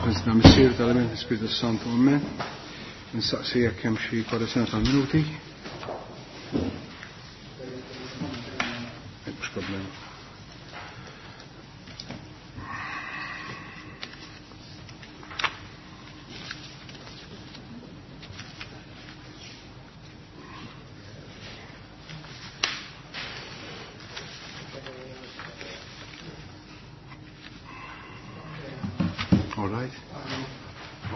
F'isem Missier tal-Iben Spiritu Santu Amen. Nistaqsi jekk hemm xi korrezzjoni tal-minuti. Mhux problema. All right.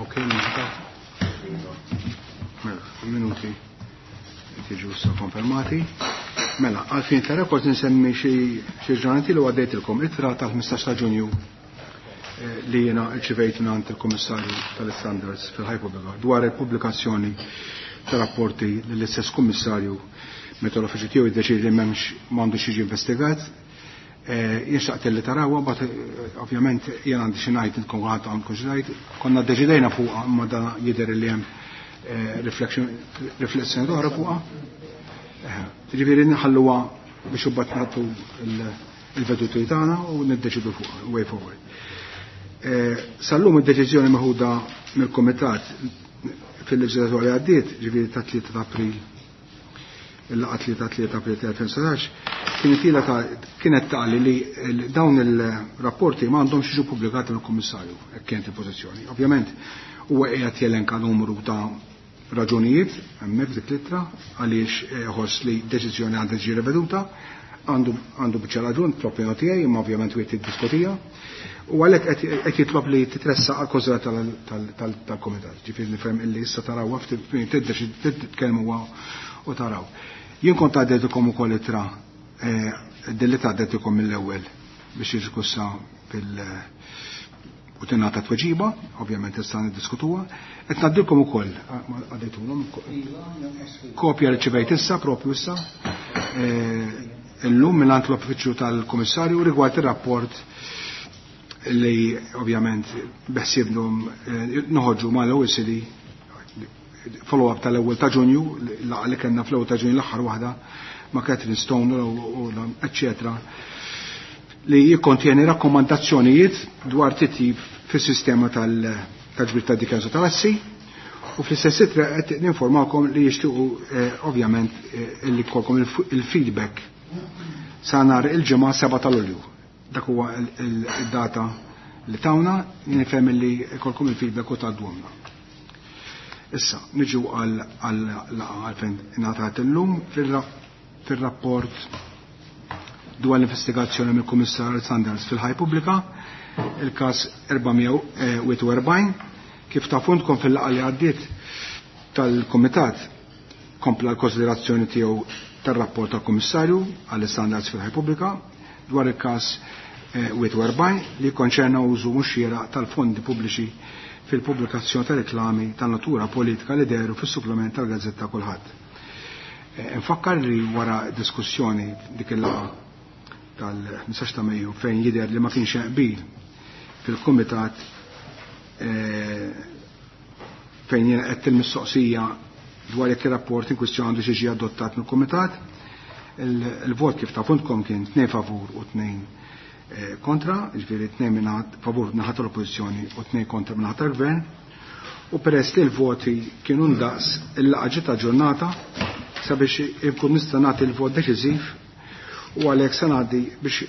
Okay, Mela, minuti tiġu issa konfermati. Mela, għalfin ta' rapport nsemmi xi ġranet li għaddejtilkom ittra tal-15 ta' Ġunju li jiena rċivejt mingħand il-Kummissarju tal-Standards fil-Ħajpubblika dwar il-pubblikazzjoni ta' rapporti lill-istess kummissarju meta l-uffiċċju tiegħu jiddeċiedi li m'hemmx m'għandux jiġi investigat. Jien xtaqt li tarawha, mbagħad ovvjament jien għandi xi ngħid intkom ħadd għandkom xi ngħid, konna ddeċidejna fuqha imma dan jidher li hemm riflessjoni oħra fuqha. Ġifieri nħalluha biex imbagħad nagħtu il-veduti tagħna u niddeċidu fuqha way forward. Sal-lum id-deċiżjoni meħuda mill-Kumitat fil-leġislatura li għaddiet, ġifieri ta' 3 ta' April, il-laqgħa 3 ta' 3 April 2017, kienet ilha ta' kienet tali li dawn il-rapporti ma għandhomx jiġu pubblikati mill-Kummissarju, hekk kienet il-pożizzjoni. Ovvjament huwa qiegħed jelenka numru ta' raġunijiet hemmhekk dik l-ittra għaliex ħoss li deċiżjoni għandha tiġi riveduta, għandu biċċa raġun fl-opinjoni tiegħi, imma ovvjament wieħed jiddiskutija. U għalhekk qed jitlob li titressaq għal konsilja tal-Kumitat. Ġifieri nifhem illi issa tarawha ftit titkellmu u taraw. Jien kont għaddejtilkom ukoll ittra din li għaddejtilkom mill-ewwel biex jiġi fil- u tingħata tweġiba, ovvjament issa niddiskutuha. Qed ngħaddilkom ukoll, għaddejtulhom kopja li ċivejt issa, propju issa, illum mingħand l-uffiċċju tal-Kummissarju rigward ir-rapport li ovvjament beħsiebhom noħorġu mal-OECD follow-up tal-ewwel ta' Ġunju, laqgħa li kellna fl-ewwel ta' Ġunju l-aħħar waħda ma' Catherine Stone u eċċetera, li jikkontjeni rakkomandazzjonijiet dwar titjib fis-sistema tal-ġbir ta' dikjanza tal-assi, u fl-istess ittra qed ninformakom li jixtiequ ovvjament li jkollkom il-feedback sa nhar il-ġimgħa 7 ta' Lulju. Dak huwa il-data li tawna, nifhem li jkollkom il-feedback u tgħadduhomna. Issa, niġu għal laqgħa għalfejn ingħatat illum fir-rapport dwar l-investigazzjoni mill-Kummissarju Sanders fil-Ħaj Pubblika, il-każ 441, kif tafuntkom fil-laqgħa li għaddiet tal-Kumitat kompla l-konsiderazzjoni tiegħu tar-rapport tal-Kummissarju għall-Standards fil-Ħaj Pubblika dwar il-każ 41 li konċerna użu mhux xieraq tal-fondi pubbliċi fil-pubblikazzjoni ta' reklami ta' natura politika li dehru fis-supplement tal-Gazzetta Kulħadd. Nfakkar li wara diskussjoni dik il-laqgħa tal-15 ta' Mejju fejn jidher li ma kienx hemm qbil fil-Kumitat fejn jiena qed il-mistoqsija dwar jekk ir-rapport in kwistjoni għandu xi adottat mill-Kumitat, il-vot kif tafuntkom kien 2 favur u 2 kontra, ġifieri 2 minn favur naħa tal-Oppożizzjoni u 2 kontra minn naħa tal-Gvern, u peress li l-voti kienu ndaqs il-laqgħa ġiet aġġornata sabiex inkun nista' nagħti l-vot deċiżiv u għalhekk se ngħaddi biex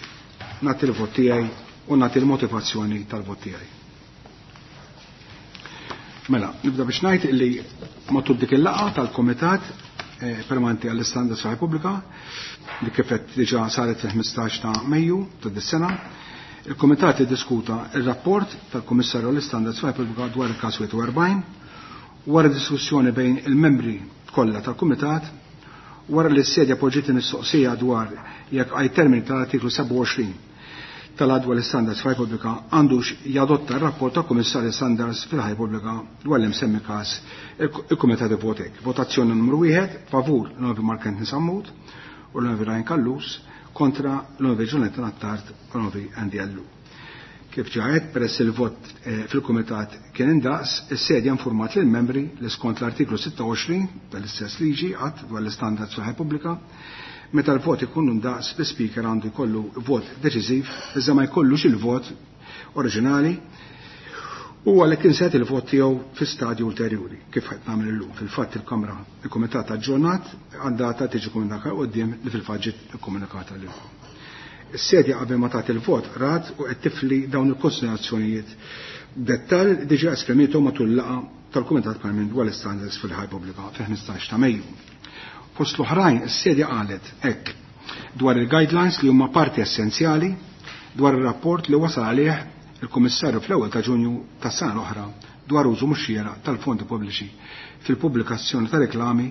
nagħti l-vot tiegħi u nagħti l-motivazzjoni tal-vot tiegħi. Mela, nibda biex ngħid illi matul dik il-laqgħa tal-Kumitat Permanenti għall-Istandards fil-Repubblika li kif qed diġà saret fil-15 ta' Mejju ta' dis-sena, il-Kumitat iddiskuta ir-rapport tal-Kummissarju għall-Istandards fil-Repubblika dwar il-każ 41 wara diskussjoni bejn il-membri kollha tal-Kumitat wara li s-sedja poġġiet mistoqsija dwar jekk għaj termini tal-artiklu 27 tal-adwa l-Standards fil-Repubblika għandux jadotta r-rapport tal-Kummissarju Standards fil-Repubblika dwar l-imsemmi każ, il-Kumitat votek. Votazzjoni numru 1 favur l-Onorevoli Mark Anthony Sammut u l-Onorevoli Ryan Callus, kontra l-Onorevoli Juliette Attard u l-Onorevoli Andy Allu. Kif ġaħet, peress il-vot fil-Kumitat kien indaqs, is-sedja informat lill membri li skont l-artiklu 26 tal-istess liġi għad dwar l-Istandards fil-Repubblika, meta l-vot ikun indaqs, l-Speaker għandu jkollu vot deċiżiv, iżda ma jkollux il-vot oriġinali. U għalhekk insejt il-vot tiegħu fi stadju ulterjuri, kif qed nagħmel illum. Fil-fatt il-Kamra il-Kumitat aġġornat għad-data tiġi komunikata quddiem li fil-fatt ġiet ikkomunikata lilkom. Is-sedja qabel ma tagħti il-vot rat u qed tifli dawn il-konsiderazzjonijiet dettall diġà esprimietom matul laqgħa tal-Kumitat Parlament dwar l-Standards fil-ħajja pubblika fil-15 ta' Mejju. Fost l-oħrajn, is-sedja qalet hekk dwar il-guidelines li huma parti essenzjali dwar ir-rapport li wasal għalih il-Kummissarju fl-ewwel ta' Ġunju tas-sena l-oħra dwar użu mhux xieraq tal-fondi pubbliċi fil-pubblikazzjoni ta' reklami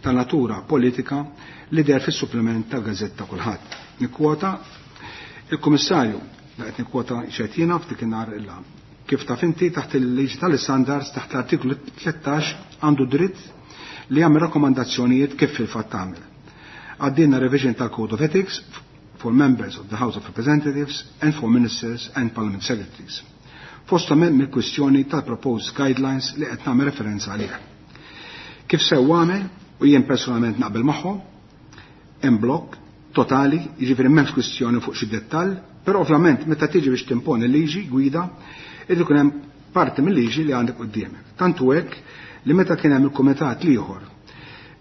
ta' natura politika li deher fis-supplement tal-gazzetta Kulħadd. Nikkwota il-Kummissarju, qed nikkwota x'qed jiena f'dik in-nhar illa. Kif taf inti taħt il-liġi tal-istandards taħt l-artiklu 13 għandu dritt li jagħmel rakkomandazzjonijiet kif fil-fatt tagħmel. Għaddejna revision tal-Code of Ethics for members of the House of Representatives and for ministers and parliament secretaries. Fosthom hemm il-kwistjoni tal-proposed guidelines li qed nagħmel referenza għalih. Kif sew għamel u jien personalment naqbel magħhom, hemm blokk totali, jiġifieri m'hemmx kwistjoni fuq xi dettall, però ovvjament meta tiġi biex timponi liġi gwida, irid ikun hemm parti mill-liġi li għandek quddiemek. Tantu hekk li meta kien hemm il-kumitat l-ieħor,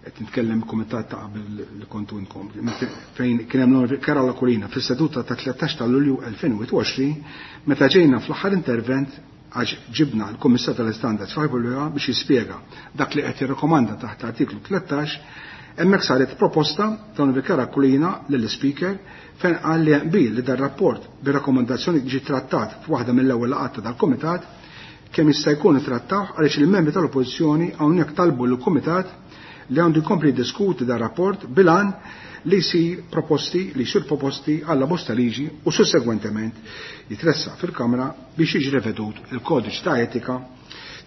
qed nitkellem il-kumitat ta' qabel li kontu inkom, fejn kien hemm l Karol Aquilina fis-seduta ta' 13 ta' Lulju 2021, meta ġejna fl-aħħar intervent għax ġibna l-Kummissar tal-Istandards f'Ħajbulja biex jispjega dak li qed jirrekomanda taħt artiklu 13, hemmhekk saret proposta ta' Vikar Aquilina lill-Speaker fejn qal li qbil li dar-rapport bir-rakkomandazzjoni ġi trattat f'waħda mill-ewwel laqgħat dal-Kumitat kemm jista' jkun ittrattaw għaliex il-membri tal-Oppożizzjoni hawnhekk talbu lill-Kumitat li għandu jkompli jiddiskuti dar rapport bil-għan li jsir proposti li jsir proposti għalla bosta liġi u sussegwentement jitressaq fil-Kamra biex jiġi revedut il-kodiċ ta' etika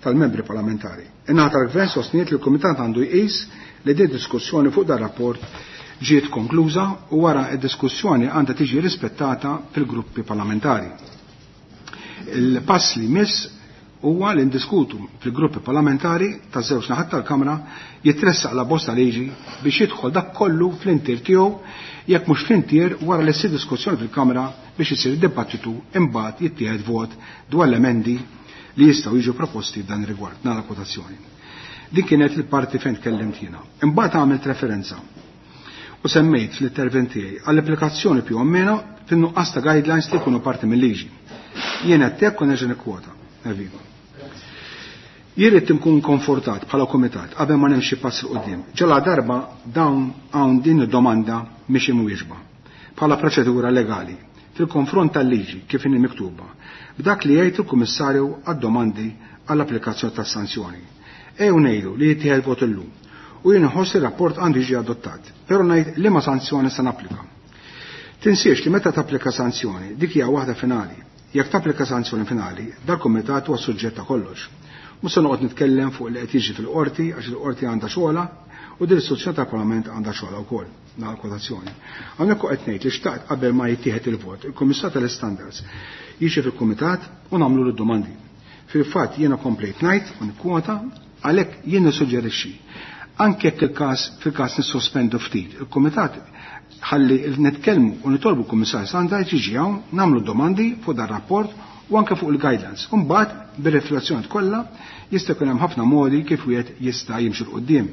tal-membri parlamentari. In-naħa tal-Gvern sostniet li l-Kumitat għandu jqis li din diskussjoni fuq dar rapport ġiet konkluża u wara id-diskussjoni għandha tiġi rispettata fil-gruppi parlamentari. Il-pass li miss huwa li ndiskutu fil-gruppi parlamentari ta' żewġ naħat tal-Kamra jitressaq la bosta liġi biex jidħol dak kollu fl-intier tiegħu jekk mhux fl-intier wara li ssir diskussjoni fil-Kamra biex isir dibattitu imbagħad jittieħed vot dwar l-emendi li jistgħu jiġu proposti f'dan ir-rigward. Nagħlaq kwotazzjoni. Din kienet il-parti fejn tkellimt jiena. Imbagħad għamilt referenza u semmejt fl-intervent tiegħi għall-applikazzjoni più o meno fin-nuqqas ta' guidelines li jkunu parti mill-liġi. Jien qed hekk u nerġa' nikkwota. Evviva. Jien irid nkun konfortat bħala kumitat qabel ma nimxi pass 'il quddiem. Ġala darba dawn hawn din id-domanda mhix imwieġba bħala proċedura legali fil-konfront tal-liġi kif inhi miktuba b'dak li jgħid il-Kummissarju għad-domandi għall-applikazzjoni tas-sanzjoni. Ejjew ngħidu li jittieħed vot illum u jien inħoss li r-rapport għandu jiġi adottat, però ngħid liema sanzjoni se napplika. Tinsiex li meta tapplika sanzjoni dik hija waħda finali. Jekk tapplika sanzjoni finali, dal-kumitat huwa suġġett ta' kollox. Mhux se noqgħod nitkellem fuq li qed jiġri fil-qorti għax il-qorti għandha xogħolha u din l-istituzzjoni tal-Parlament għandha xogħolha wkoll. Nagħlaq kwotazzjoni. Hawnhekk qed ngħid li xtaqt qabel ma jittieħed il-vot, il-Kummissar tal-Istandards jiġi fil-kumitat u nagħmlu d-domandi. Fil-fatt jiena komplejt ngħid u nikkwota għalhekk jien nissuġġerixxi anke jekk il-każ fil-każ nissospendu ftit, il-kumitat ħalli nitkellmu u nitolbu l-Kummissar Standards jiġi hawn nagħmlu domandi fuq dan rapport u anke fuq il-guidelines. Imbagħad bir-riflessjoni kollha jista' jkun hemm ħafna modi kif wieħed jista' jimxi 'l quddiem.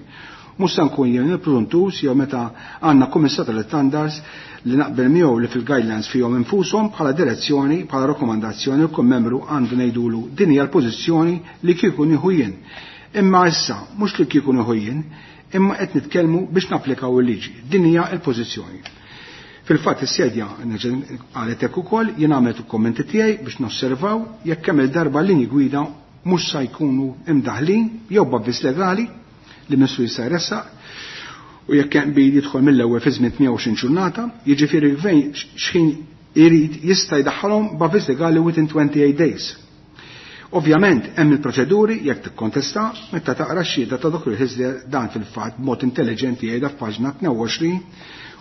Mhux se nkun jien il-pruduntus jew meta għandna Kummissar tal-Standards li naqbel miegħu li fil-guidelines fihom infushom bħala direzzjoni, bħala rakkomandazzjoni kull membru għandu ngħidulu din hija l-pożizzjoni li kieku nieħu jien. Imma issa mhux li kieku nieħu jien, imma qed nitkellmu biex napplikaw il-liġi. Din hija l-pożizzjoni. Fil-fatt is-sedja qalet hekk ukoll jien għamilt il-kommenti tiegħi biex nosservaw jekk kemm il-darba linji gwida mhux sa jkunu imdaħlin jew b'avviż legali li Ministru jista' jressaq u jekk hemm qbil jidħol mill-ewwel fi żmien 28 ġurnata, jiġifieri l-gvern x'ħin irid jista' jdaħħalhom b'avviż legali within 28 days. Ovvjament hemm il-proċeduri jekk tikkontesta meta taqra x-xhieda ta' Dr. Hyzler dan fil-fatt b'mod intelligenti jgħidha f'paġna 22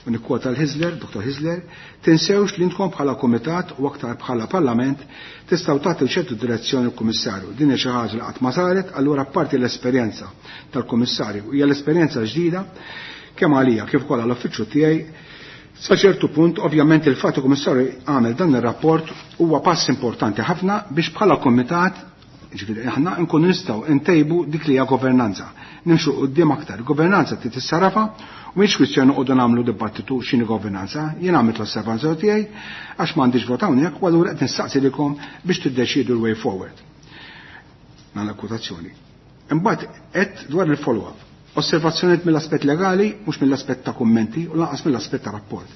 u nikkwota l-Hyzler, Dr. Hyzler, tinsewx li intkom bħala kumitat u aktar bħala parlament tistgħu tagħtu ċertu direzzjoni l-Kummissarju. Din hija xi ħaġa li qatt ma saret, allura apparti l-esperjenza tal-Kummissarju hija l-esperjenza ġdida kemm għalija kif ukoll għall-uffiċċju tiegħi. Sa ċertu punt, ovvjament il-fatt il-Kummissarju għamel dan ir-rapport huwa pass importanti ħafna biex bħala kumitat Ġifieri aħna nkunu nistgħu ntejbu dik li hija governanza. Nimxu quddiem aktar. Governanza trid tissarafa u mhix kwistjoni noqogħdu nagħmlu dibattitu x'inhi governanza. Jien għamilt l-osservanza tiegħi għax m'għandix vot hawnhekk u allura qed nistaqsi lilkom biex tiddeċiedu l-way forward. Nagħlaq kwotazzjoni. Imbagħad qed dwar il-follow-up. Osservazzjonijiet mill-aspett legali, mhux mill-aspett ta' kummenti u lanqas mill-aspett ta' rapport.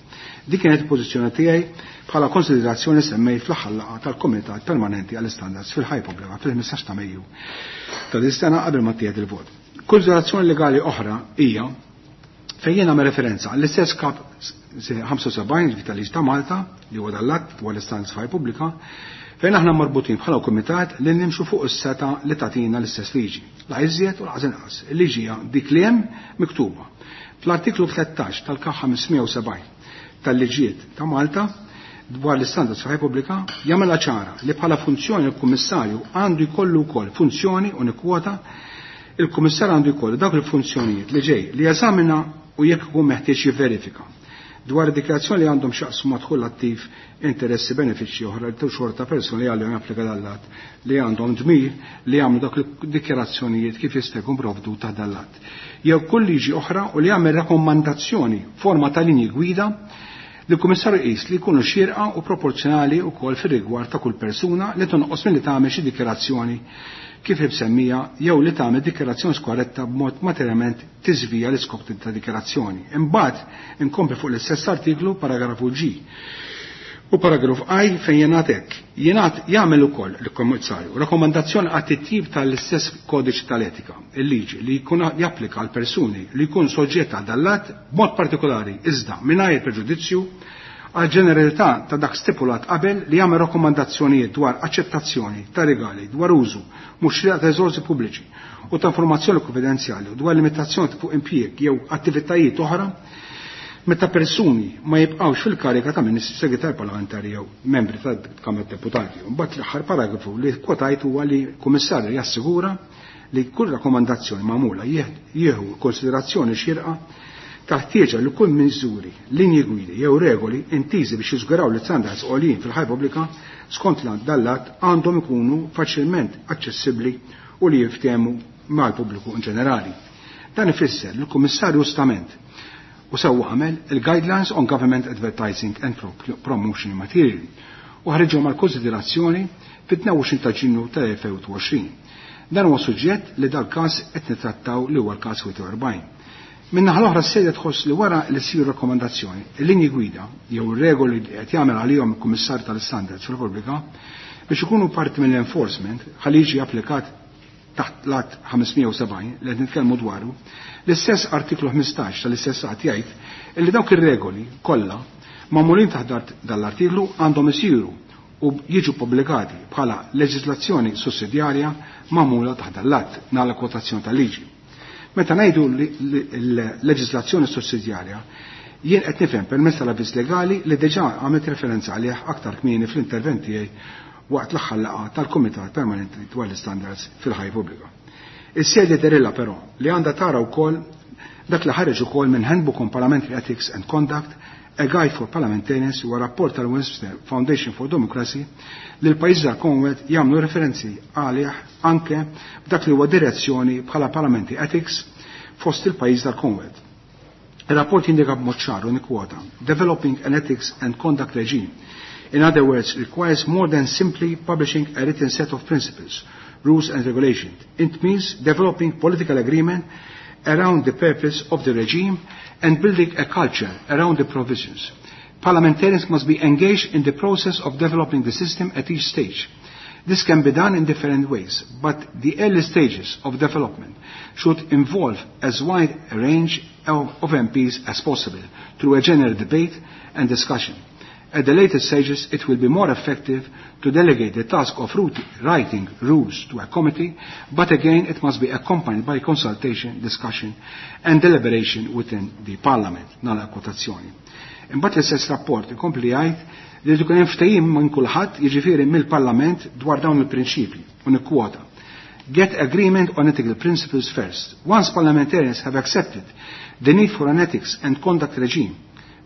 Dik kienet il-pożizzjoni tiegħi bħala konsiderazzjoni semmejt fl-aħħar laqgħa tal-Kumitat Permanenti għall-Istandards fil-Ħajja Pubblika fil-15 ta' Mejju ta' din sena qabel ma ttieħed il-vot. Konsiderazzjoni legali oħra hija fejn jien nagħmel referenza għall-istess kap 75 tal-Liġi ta' Malta li huwa dal-att dwar l-istandards fil-ħajja pubblika fejn aħna marbutin bħala kumitat li nimxu fuq is-seta li tagħtina l-istess liġi. La iżjed u lanqas inqas. Il-liġi hija dik li hemm miktuba. Fl-artiklu 13 tal-K 570 tal-liġijiet ta' Malta dwar l-istandards fil-ħajja pubblika jagħmilha ċara li bħala funzjoni l-Kummissarju għandu jkollu wkoll funzjoni u nikkwota il-Kummissarju għandu jkollu dawk il-funzjonijiet li ġej li jeżamina u jekk ikun meħtieġ jivverifika dwar dikjarazzjoni li għandhom x'jaqsmu ma' dħul attiv interessi benefiċċji oħra li xorta persuni li għalihom japplika dal-att li għandhom dmir li jagħmlu dak il-dikjarazzjonijiet kif jista' jkun provdut taħt dal-att. Jew kull liġi oħra u li jagħmel rakkomandazzjoni forma ta' linji gwida li l-Kummissarju jqis li jkunu xierqa u proporzjonali wkoll fir-rigward ta' kull persuna li tonqos milli tagħmel xi dikjarazzjoni kif imsemmija jew li tagħmel dikjarazzjoni skorretta b'mod materjalment tiżvija l-iskop ta' dikjarazzjoni. Imbagħad inkompli fuq l-istess artiklu paragrafu G u paragrafu I fejn jingħad hekk. Jingħad jagħmel ukoll l-Kummissarju rakkomandazzjoni għat-titjib tal-istess kodiċi tal-etika, il-liġi li jkun japplika għal persuni li jkun soġġett għal dal-att b'mod partikolari iżda mingħajr preġudizzju għal ġeneralità ta' dak stipulat qabel li jagħmel rakkomandazzjonijiet dwar aċċettazzjoni ta' regali dwar użu mhux xieraq ta' riżorsi pubbliċi u ta' informazzjoni konfidenzjali u dwar limitazzjoni fuq impjieg jew attivitajiet oħra meta persuni ma jibqgħux fil-karika ta' ministri segretar parlamentari jew membri ta' Kamra Deputati. Mbagħad l-aħħar paragrafu li kwotajt huwa li kummissarju jassigura li kull rakkomandazzjoni magħmula jieħu konsiderazzjoni xierqa taħtieġa li kull miżuri, linji gwidi jew regoli intiżi biex jiżguraw li standards għoljin fil-ħajja pubblika skont dal-att għandhom ikunu faċilment aċċessibbli u li jiftehmu mal-pubbliku in ġenerali. Dan ifisser li l-Kummissarju ġustament u sewwa għamel il-Guidelines on Government Advertising and Promotion Material u ħarġhom għal konsiderazzjoni fit-22 ta' Ġunju tal-2020. Dan huwa suġġett li dal-każ qed nittrattaw li huwa l-każ 41. Min-naħa l-oħra s-sejda tħoss li wara li ssir rakkomandazzjoni, il-linji gwida jew ir-regoli li qed jagħmel għalihom il-Kummissarju tal-Istandards fil-Repubblika biex ikunu parti mill-enforcement ħalli jiġi applikat taħt l-att 570 li qed nitkellmu dwaru, l-istess artiklu 15 tal-istess att jgħid illi dawk ir-regoli kollha magħmulin taħt dal-artiklu għandhom isiru u jiġu pubblikati bħala leġislazzjoni sussidjarja magħmula taħt dal-att nagħlaq kwotazzjoni tal-liġi. Meta ngħidu l-leġislazzjoni sussidjarja, jien qed nifhem permezz tal-avviż legali li diġà għamilt referenza għalih aktar kmieni fl-intervent tiegħi waqt l-aħħar laqgħa tal-Kumitat Permanenti dwar l-Istandards fil-Ħajja Pubblika. Is-sede derilla però li għandha tara wkoll dak li ħareġ ukoll minn Handbook on Parliamentary Ethics and Conduct, A Guide for Parliamentarians huwa rapport tal-Westminster Foundation for Democracy li l-pajjiżi tal-Commonwealth jagħmlu referenzi għalih anke b'dak li huwa direzzjoni bħala Parliamentary Ethics fost il-pajjiż tal-Commonwealth. Il-rapport jindika b'mod ċar u nikkwota Developing an Ethics and Conduct Regime. In other words, requires more than simply publishing a written set of principles, rules and regulations. It means developing political agreement around the purpose of the regime and building a culture around the provisions. Parliamentarians must be engaged in the process of developing the system at each stage. This can be done in different ways, but the early stages of development should involve as wide a range of MPs as possible through a general debate and discussion. At the later stages, it will be more effective to delegate the task of writing rules to a committee, but again, it must be accompanied by consultation, discussion, and deliberation within the Parliament. Nagħlaq kwotazzjoni. Imbagħad l-istess rapport ikompli jgħid li jkun hemm ftehim minn kulħadd, jiġifieri mill-Parlament dwar dawn il-prinċipji u nikkwota. Get agreement on ethical principles first. Once parliamentarians have accepted the need for an ethics and conduct regime,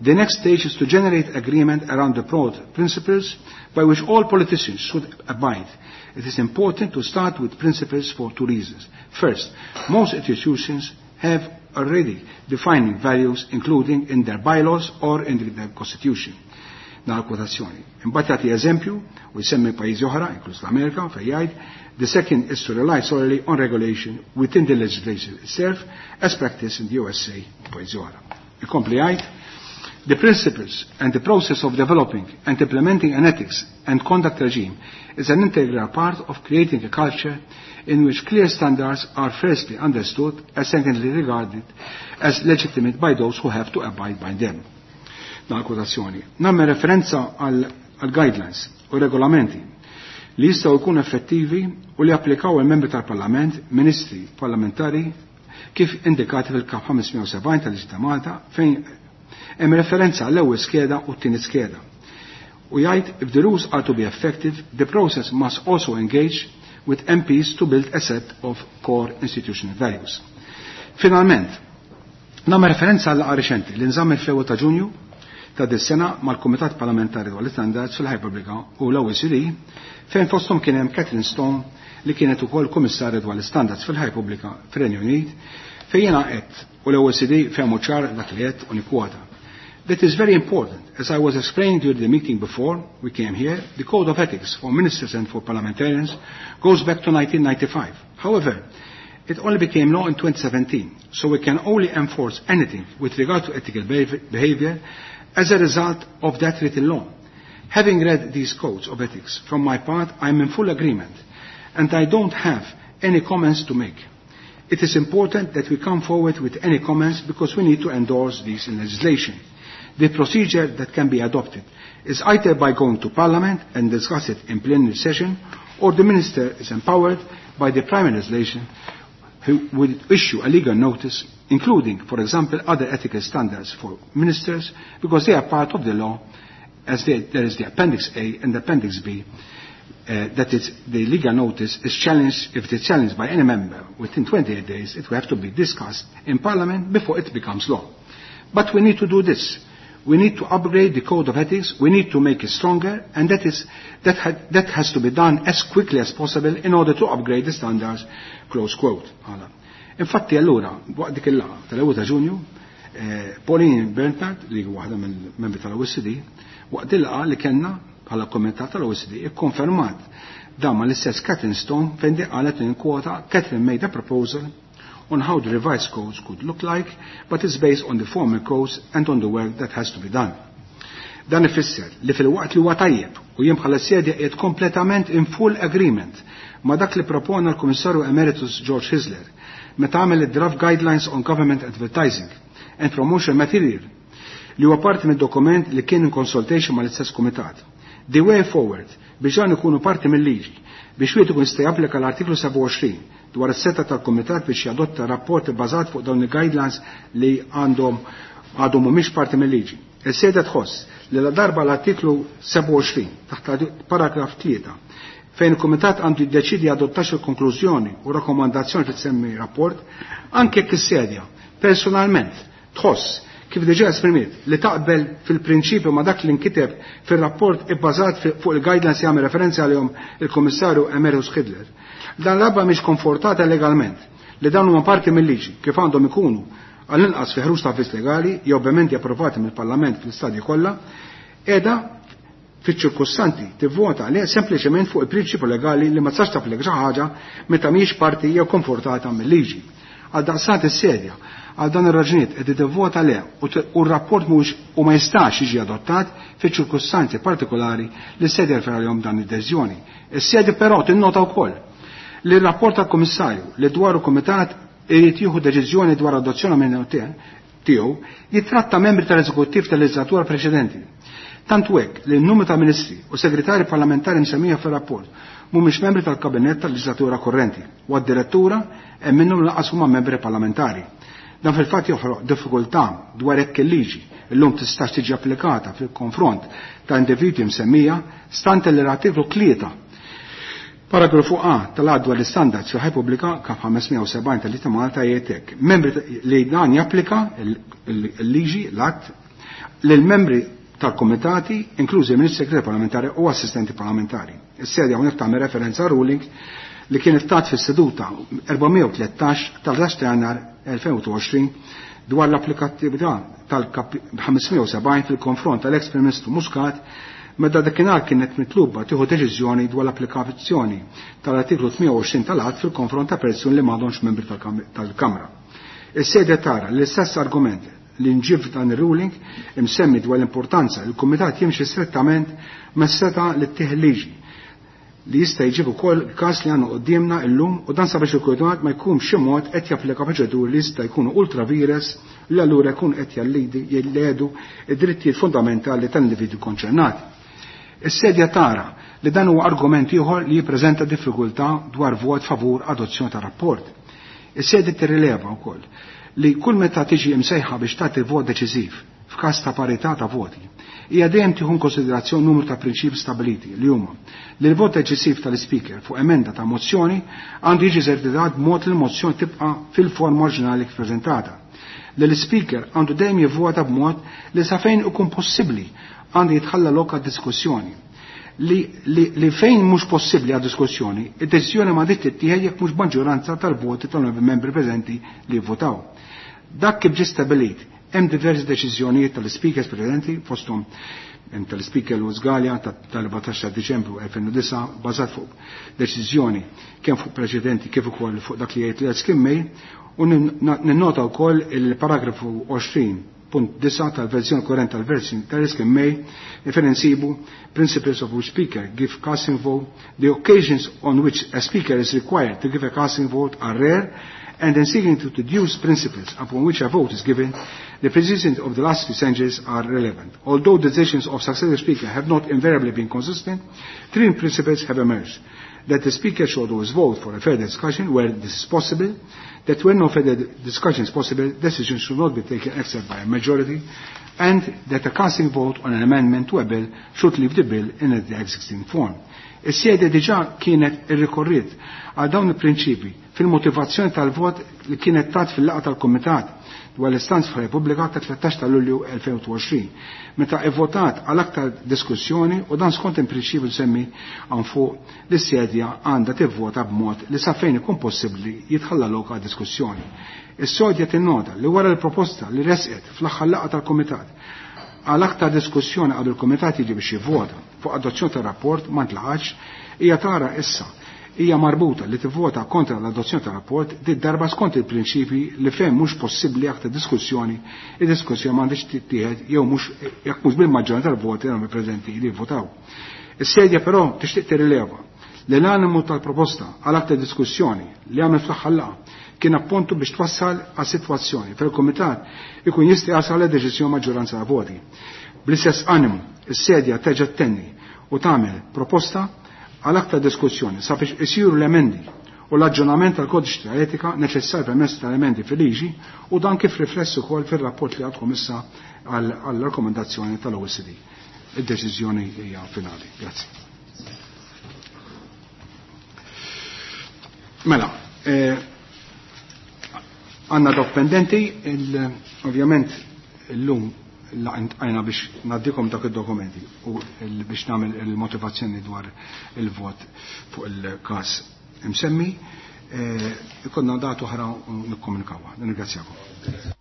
The next stage is to generate agreement around the broad principles by which all politicians should abide. It is important to start with principles for two reasons. First, most institutions have already defining values, including in their bylaws or in their constitution. Nara kwotazzjoni. Imbagħad jagħti eżempju u jsemmi pajjiżi oħra, inkluż l-Amerika, fejn jgħid, the second is to rely solely on regulation within the legislation itself as practiced in the USA u pajjiżi oħra. Ikompli jgħid, the principles and the process of developing and implementing an ethics and conduct regime is an integral part of creating a culture in which clear standards are firstly understood and secondly regarded as legitimate by those who have to abide by them. Nagħlaq kwotazzjoni. Nagħmel referenza għal guidelines u regolamenti li jistgħu jkunu effettivi u li applikaw il-membri tal-Parlament, ministri parlamentari, kif indikati fil-kap 570 tal-Liġi ta' Malta fejn hemm referenza għall-ewwel skeda u t-tieni skeda. U jgħid, if the rules are to be effective, the process must also engage with MPs to build a set of core institutional values. Finalment, nagħmel referenza għal reċenti li nżammet fl-ewwel ta' Ġunju ta' dis-sena mal-Kumitat Parlamentari dwar l-Istandards fil-Ħajja Pubblika u l-OECD, fejn fosthom kien hemm Catherine Stone li kienet ukoll Kummissarju dwar l-Istandards fil-Ħajja Pubblika fir-Renju Unit, fejn jiena qed u l-OECD fehmu ċar dak li qed u nikkwota. That is very important. As I was explaining during the meeting before we came here, the Code of Ethics for Ministers and for Parliamentarians goes back to 1995. However, it only became law in 2017, so we can only enforce anything with regard to ethical behavior as a result of that written law. Having read these codes of ethics, from my part, I am in full agreement, and I don't have any comments to make. It is important that we come forward with any comments because we need to endorse these in legislation. The procedure that can be adopted is either by going to Parliament and discuss it in plenary session, or the Minister is empowered by the primary legislation who will issue a legal notice, including, for example, other ethical standards for ministers, because they are part of the law, as there is the Appendix A and the Appendix B, that is, the legal notice is challenged, if it is challenged by any member within 28 days, it will have to be discussed in Parliament before it becomes law. But we need to do this. We need to upgrade the code of ethics, we need to make it stronger, and that has to be done as quickly as possible in order to upgrade the standards, close quote. Għala. Infatti allura, waqt dik il-laqgħa tal-ewwel ta' Ġunju, Pauline Bernard, li huwa waħda mill-membri tal-OECD, waqt il-laqgħa li kellna bħala komitat tal-OECD, ikkonfermat dan ma l-istess Catherine Stone fejn di qalet in kwota Catherine made a proposal on how the revised codes could look like, but it's based on the former codes and on the work that has to be done. Dan ifisser li fil-waqt li huwa tajjeb u jien bħala sedja qiegħed kompletament in full agreement ma dak li propona l-Kummissarju Emeritus George Hyzler meta għamel id-draft guidelines on government advertising and promotion material li huwa parti mid-dokument li kien in consultation mal-istess kumitat. The way forward biex dan ikunu parti mill-liġi biex wieħed ikun jista' japplika l-artiklu 27 dwar is-seta tal-Kumitat biex jadotta rapport bbażat fuq dawn il-guidelines li għandhom għadhom mhumiex parti mill-liġi. Is-seda tħoss li la darba l-artiklu 27 taħt paragraf 3 fejn il-Kumitat għandu jiddeċidi jadottax il-konklużjoni u rakkomandazzjoni li tsemmi rapport, anke jekk is-sedja personalment tħoss kif diġà esprimiet li taqbel fil-prinċipju ma dak li nkiteb fil-rapport ibbażat fuq il-guidelines jagħmel referenza għalihom il-Kummissarju Emeritus Hyzler. Dan l-abba mhix konfortata legalment li dawn huma parti mill-liġi kif għandhom ikunu għall-inqas fi ħruġ ta' avviż legali jew b'emendi approvati mill-Parlament fl-istadji kollha, qiegħda fiċ-ċirkustanti tivvota li sempliċement fuq il-prinċipju legali li ma tistax tapplika xi ħaġa meta mhijiex parti jew konfortata mill-liġi. Għal daqstant is-sedja għal dan ir-raġunijiet qed tivvota le u r-rapport mhux u ma jistax jiġi adottat fiċ-ċirkustanzi partikolari li s-sedja referha għalihom dan id-deċiżjoni. Is-sedja però tinnota wkoll li r-rapport tal-Kummissarju li dwar il-Kumitat irid jieħu deċiżjoni dwar adozzjoni minn tiegħu jitratta membri tal-eżekuttiv tal-leġislatura preċedenti. Tant hekk li n-numru ta' ministri u segretari parlamentari msemmija fir-rapport mhumiex membri tal-kabinett tal-leġislatura korrenti u għad-direttura hemm minnhom lanqas huma membri parlamentari. Dan fil-fatt joħroq diffikultà dwar hekk il-liġi illum tistax tiġi applikata fil-konfront ta' individwi msemmija stante li l-artiklu 3 paragrafu A tal-att dwar l-istandards fil-ħajja pubblika kap 570 tal-Liġi ta' Malta jgħid hekk. Membri li dan japplika il-liġi l-att Lill-membri tal-komitati, inklużi ministri segretari parlamentari u assistenti parlamentari. Is-sedja hawnhekk tagħmel referenza ruling li kienet tat fis-seduta 413 tal-10 Jannar 2020 dwar l-applikattività tal-570 fil-konfront tal-ex Prim Ministru Muscat meta dakinhar kienet mitluba tieħu deċiżjoni dwar l-applikazzjoni tal-artiklu 28 tal-att fil-konfront ta' persuni li m'għadhomx membri tal-Kamra. Is-sedja tara l-istess argument li nġib dan ir-ruling imsemmi dwar l-importanza li l-Kumitat jimxi strettament mas-seta li ttieħ liġi li jista' jġib ukoll każ li għandna quddiemna llum u dan sabiex il-Kumitat ma jkun xi mod qed japplika proċeduri li jista' jkunu ultra vires li allura jkun qed jilledu id-drittijiet fundamentali tal-individwi konċernati. Is-sedja tara li dan huwa argument ieħor li jippreżenta diffikultà dwar vot favur adozzjoni ta' rapport. Is-sedja tirrileva wkoll li kull meta tiġi imsejħa biex tagħti vot deċiżiv f'każ ta' parità ta' voti, hija dejjem tieħu konsiderazzjoni numru ta' prinċipi stabiliti li huma li l-vot deċiżiv tal-ispeaker fuq emenda ta' mozzjoni għandu jiġi eżerċitat b'mod li l-mozzjoni tibqa' fil-forma oriġinali kif preżentata. Li l-ispeaker għandu dejjem jivvota b'mod li sa fejn ikun possibbli għandu jitħalla lok għad-diskussjoni. Li, li, li fejn mhux possibbli għad diskussjoni, id-deċiżjoni ma tittieħed jekk mhux maġġoranza tal-voti tal-membri preżenti li jivvotaw. Dak kif ġie stabilit, hemm diversi deċiżjonijiet tal-speakers preżenti fosthom hemm tal-speaker Louis Galea tal-14 ta' Diċembru 2009 bażat fuq deċiżjoni kemm fuq preċedenti kif ukoll fuq dak li jgħid l mail u ninnota wkoll il-paragrafu 20.9 tal-verżjoni korrent tal-verżjoni tal-Erskine May fejn insibu principles of which speaker give casting vote. The occasions on which a speaker is required to give a casting vote are rare, and in seeking to deduce principles upon which a vote is given, the precisions of the last few centuries are relevant. Although decisions of successive speakers have not invariably been consistent, three principles have emerged. That the speaker should always vote for a fair discussion where this is possible, that when no further discussion is possible, decisions should not be taken except by a majority, and that a casting vote on an amendment to a bill should leave the bill in its existing form. Is-sede diġà kienet irrikorriet għal dawn il-prinċipi fil-motivazzjoni tal-vot li kienet tat fil-laqgħa tal-Kumitat dwar l-istanz fil-Repubblika ta' 13 ta' Lulju 2020, meta evvotat għal aktar diskussjoni u dan skont il-prinċipju semmi għan fuq li s-sedja għandha tivvota b'mod li sa fejn ikun possibbli jitħalla lok għal diskussjoni. Is-sodja tinnota li wara l-proposta li resqet fl-aħħar laqgħa tal-Kumitat għal aktar diskussjoni qabel il-Kumitat jiġi biex jivvota fuq adozzjoni tar-rapport ma ntlaqax, hija tara issa hija marbuta li tivvota kontra l-adozzjoni tar-rapport dit darba skont il-prinċipi li fejn mhux possibbli aktar diskussjoni, id-diskussjoni m'għandix tittieħed jew mhux jekk mhux bil-maġġoranza tal-voti li preżenti li jivvotaw. Is-sedja però tixtieq tirrileva li l-animu tal-proposta għal aktar diskussjoni li għamel fl-aħħar laqgħa kien appuntu biex twassal għal sitwazzjoni fejn il-Kumitat ikun jista' jasal għal deċiżjoni maġġoranza ta' voti. Bl-istess animu, is-sedja terġa' tenni u tagħmel proposta għal aktar diskussjoni sabiex isiru l-emendi u l-aġġornament tal-kodiċi ta' etika neċessarju permezz tal-emendi fil-liġi u dan kif rifless ukoll fir-rapport li għadkom issa għall-rakkomandazzjoni tal-OECD. Id-deċiżjoni hija finali. Grazzi. Mela, għanna dok pendenti, ovvjament l-lum għajna biex naddikom dak il-dokumenti u biex namel il-motivazzjoni dwar il-vot fuq il-kas imsemmi, ikonna datu ħra nikkomunikawa. Nirringrazzjakom.